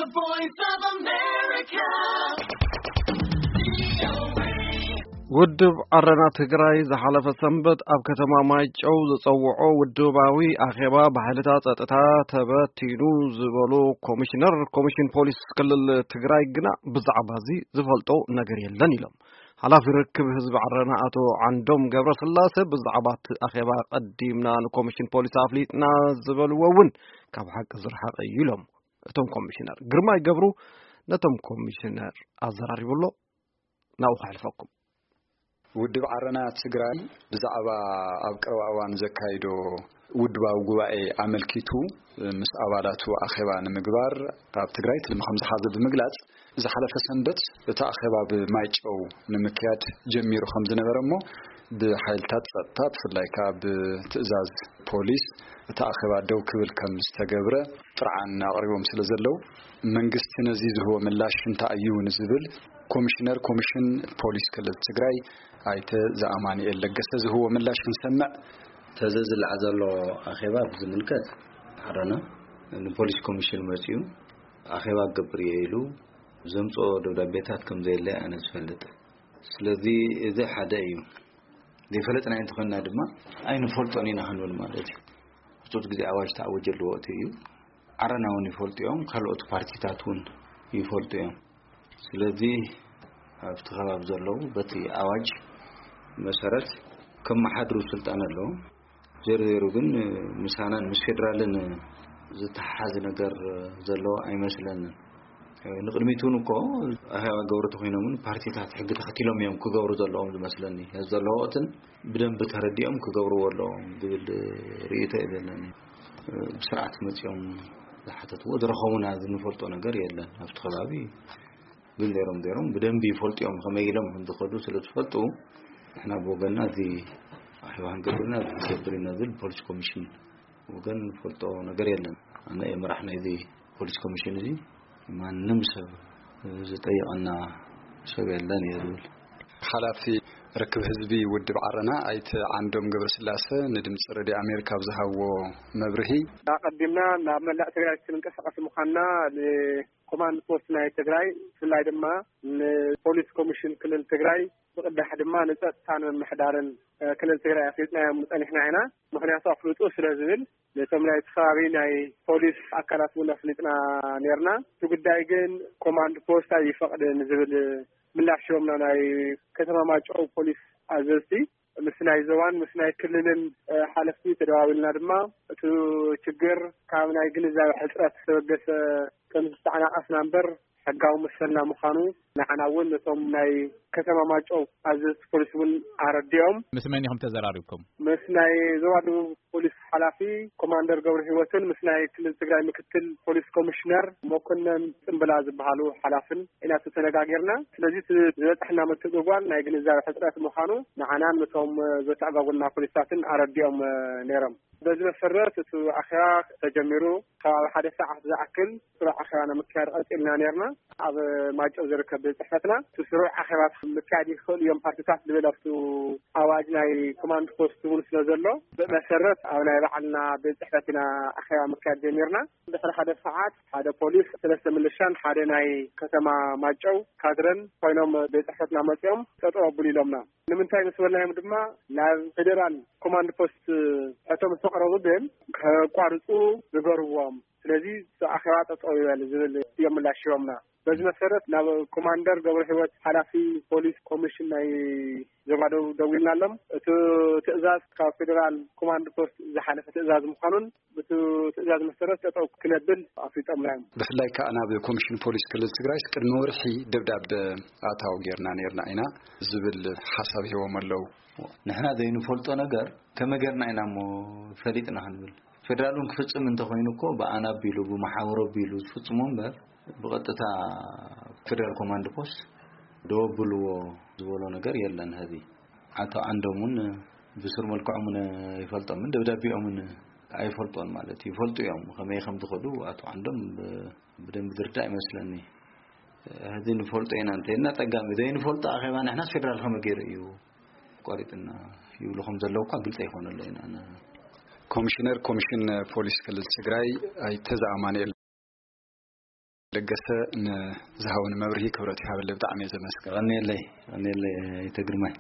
The Voice of America. ውድብ ዓረና ትግራይ ዝሓለፈ ሰንበት ኣብ ከተማ ማይጨው ዝጸውዖ ውድባዊ ኣኼባ ብሓይልታት ጸጥታ ተበቲኑ ዝበሉ ኮሚሽነር ኮሚሽን ፖሊስ ክልል ትግራይ ግና ብዛዕባ እዚ ዝፈልጦ ነገር የለን ኢሎም። ሓላፊ ርክብ ህዝቢ ዓረና ኣቶ ዓንዶም ገብረስላሰ ብዛዕባ እቲ ኣኼባ ቀዲምና ንኮሚሽን ፖሊስ ኣፍሊጥና ዝበልዎ እውን ካብ ሓቂ ዝረሓቐ እዩ ኢሎም። እቶም ኮሚሽነር ግርማይ ገብሩ ነቶም ኮሚሽነር ኣዘራሪቡ ኣሎ። ናብኡ ከሕልፈኩም። ውድብ ዓረና ትግራይ ብዛዕባ ኣብ ቀረባ እዋን ዘካይዶ ውድባዊ ጉባኤ ኣመልኪቱ ምስ ኣባላቱ ኣኼባ ንምግባር ኣብ ትግራይ ትልሚ ከም ዝሓዘ ብምግላጽ፣ ዝሓለፈ ሰንበት እቲ ኣኼባ ብማይጨው ንምክያድ ጀሚሩ ከም ዝነበረ እሞ፣ ብሓይልታት ጸጥታ ብፍላይ ከኣ ብትእዛዝ ፖሊስ እቲ ኣኼባ ደው ክብል ከም ዝተገብረ ጥርዓን ኣቕሪቦም ስለ ዘለዉ፣ መንግስቲ ነዚ ዝህቦ ምላሽ እንታይ እዩ ንዝብል ኮሚሽነር ኮሚሽን ፖሊስ ክልል ትግራይ ኣይተ ዘኣማኑኤል ለገሰ ዝህቦ ምላሽ ክንሰምዕ። ተዘ ዝለዓ ዘሎ ኣኼባ ብዝምልከት ዓረና ንፖሊስ ኮሚሽን መጺኡ ኣኼባ ክገብር እየ ኢሉ ዘምጽኦ ደብዳቤታት ከም ዘየለ ኣነ ዝፈልጥ። ስለዚ እዚ ሓደ እዩ። ዘይፈለጥና እንተኾንና ድማ ኣይንፈልጦን ኢና ክንብል ማለት እዩ። ህጹጽ ግዜ ኣዋጅ ተኣወጀሉ ወቕቲ እዩ። ዓረና እውን ይፈልጡ እዮም፣ ካልኦት ፓርቲታት እውን ይፈልጡ እዮም። ስለዚ ኣብቲ ከባቢ ዘለዉ በቲ ኣዋጅ መሰረት ከመሓድሩ ስልጣን ኣለዎም። ዜሮ ዜሮ ግን ምሳናን ምስ ፌደራልን ዝተሓሓዝ ነገር ዘለዎ ኣይመስለንን። ንቅድሚት እውን እኮ ኣህያዋ ገብሩ ተኮይኖም እውን ፓርቲታት ሕጊ ተኸቲሎም እዮም ክገብሩ ዘለዎም ዝመስለኒ። ነዚ ዘለዎ ወቅትን ብደንቢ ተረዲኦም ክገብርዎ ኣለዎም ዝብል ርእይቶ እዩ ዘለኒ። ብስርዓት መፂኦም ዝሓተትዎ ዝረኸቡና ዝንፈልጦ ነገር የለን። ኣብቲ ከባቢ ግን ዜሮም ዜሮም ብደንቢ ይፈልጡ እዮም። ከመይ ኢሎም ከም ዝኸዱ ስለ ዝፈልጡ ንሕና ብወገንና እዚ ኣኼባ ክንገብርና እዚ ክንገብር ኢና ዝብል ፖሊስ ኮሚሽን ወገን ንፈልጦ ነገር የለን። ኣነ እየ መራሕ ናይዚ ፖሊስ ኮሚሽን እዚ። ማንም ሰብ ዝጠይቐና ሰብ የለን እየ ዝብል። ሓላፊ ርክብ ህዝቢ ውድብ ዓረና ኣይተ ዓንዶም ገብረስላሰ ንድምፂ ሬድዮ ኣሜሪካ ኣብ ዝሃብዎ መብርሂ፣ ኣቐዲምና ናብ መላእ ትግራይ ክንንቀሳቐስ ምዃንና ንኮማንድ ፖስት ናይ ትግራይ፣ ብፍላይ ድማ ንፖሊስ ኮሚሽን ክልል ትግራይ፣ ብቕዳሕ ድማ ንፀጥታን ምምሕዳርን ክልል ትግራይ ኣፍሊጥናዮም ፀኒሕና ኢና። ምኽንያቱ ኣፍልጡ ስለ ዝብል ነቶም ናይቲ ከባቢ ናይ ፖሊስ ኣካላት እውን ኣፍሊጥና ነርና። እቲ ጉዳይ ግን ኮማንድ ፖስት ኣይፈቕድን ዝብል ምላሽ ሂቦምና ናይ ከተማ ማይጨው ፖሊስ ኣዘዝቲ። ምስ ናይ ዞባን ምስ ናይ ክልልን ሓለፍቲ ተደዋዊልና ድማ እቲ ችግር ካብ ናይ ግንዛቤ ሕፅረት ዝተበገሰ ከም ዝተዓናቐፍና እምበር ሕጋዊ መሰልና ምዃኑ ንዓና እውን ነቶም ናይ ከተማ ማይጨው ኣዘዝቲ ፖሊስ እውን ኣረዲኦም። ምስ መን ኢኹም ተዘራሪብኩም? ምስ ናይ ዞባ ደቡብ ፖሊስ ሓላፊ ኮማንደር ገብረ ህይወትን ምስ ናይ ክልል ትግራይ ምክትል ፖሊስ ኮሚሽነር መኮነን ፅምብላ ዝበሃሉ ሓላፍን ኢና ተነጋጊርና። ስለዚ እቲ ዝበፅሐና ምትእጉጓል ናይ ግንዛቤ ሕፅረት ምዃኑ ንዓናን ነቶም ዘተኣጓጉልና ፖሊሳትን ኣረዲኦም ነይሮም። በዚ መሰረት እቲ ኣኼባ ተጀሚሩ ካብ ሓደ ሰዓት ዝኣክል ስሩዕ ኣኼባ ንምክያድ ቀፂልና ነርና። ኣብ ማይጨው ዝርከብ ቤት ፅሕፈትና እቲ ስሩዕ ኣኼባ ምክያድ ይኽእሉ እዮም ፓርቲታት ዝብል ኣብቲ ኣዋጅ ናይ ኮማንድ ፖስት እውን ስለ ዘሎ፣ ብመሰረት ኣብ ናይ ባዕልና ቤት ፅሕፈት ኢና ኣኼባ ምክያድ ጀሚርና። ድሕሪ ሓደ ሰዓት ሓደ ፖሊስ፣ ሰለስተ ምልሻን ሓደ ናይ ከተማ ማይጨው ካድረን ኮይኖም ቤት ፅሕፈትና መፂኦም ጠጠው ኣብሉ ኢሎምና። ንምንታይ ምስ በልናዮም ድማ ናብ ፌዴራል ኮማንድ ፖስት ሕቶ ምስ ኣቕረቡ ግን ከቋርፁ ንገርዎም። ስለዚ እቲ ኣኼባ ጠጠው ይበል ዝብል እዮም ምላሽ ሂቦምና። በዚ መሰረት ናብ ኮማንደር ገብረ ህይወት ሓላፊ ፖሊስ ኮሚሽን ናይ ዞባ ደቡብ ደዊልናሎም። እቲ ትእዛዝ ካብ ፌዴራል ኮማንድ ፖስት ዝሓለፈ ትእዛዝ ምዃኑን ብቲ ትእዛዝ መሰረት ጠጠው ክነብል ኣፍሊጦምና እዮም። ብፍላይ ከዓ ናብ ኮሚሽን ፖሊስ ክልል ትግራይ ቅድሚ ወርሒ ደብዳበ ኣታዊ ጌርና ነርና ኢና ዝብል ሓሳብ ሂቦም ኣለዉ። ንሕና ዘይንፈልጦ ነገር ከመይ ጌርና ኢና እሞ ፈሊጥና ክንብል? ፌደራል እውን ክፍጽም እንተኾይኑ እኮ ብኣና ኣቢሉ ብመሓውር ኣቢሉ ዝፍጽሞ እምበር ብቐጥታ ፌደራል ኮማንድ ፖስት ደው ኣብልዎ ዝበሎ ነገር የለን። ሕዚ ኣቶ ዓንዶም እውን ብስሩ መልክዖም እውን ይፈልጦምን ደብዳቤኦም እውን ኣይፈልጦን ማለት እዩ። ይፈልጡ እዮም ከመይ ከም ዝኸዱ ኣቶ ዓንዶም ብ-፣ ብደንብ ዝርዳእ ይመስለኒ። ሕዚ ንፈልጦ ኢና እንተኢልና ጸጋም እዩ። ዘይንፈልጦ ኣኼባ ንሕናስ ፌደራል ከመይ ገይሩ እዩ ቆሪጥና ይብሉ ከም ዘለዉ እኳ ግልጺ ኣይኮነለይን። ኣነ ኮሚሽነር ኮሚሽን ፖሊስ ክልል ትግራይ ኣይተ ዘኣማኑኤል ለገሰ፣ ንዝሃቡኒ መብርሂ ክብረት ይሃበለይ፣ ብጣዕሚ እየ ዘመስግን። ቀንየለይ፣ ቀንየለይ፣ ኣይተ ግርማይ።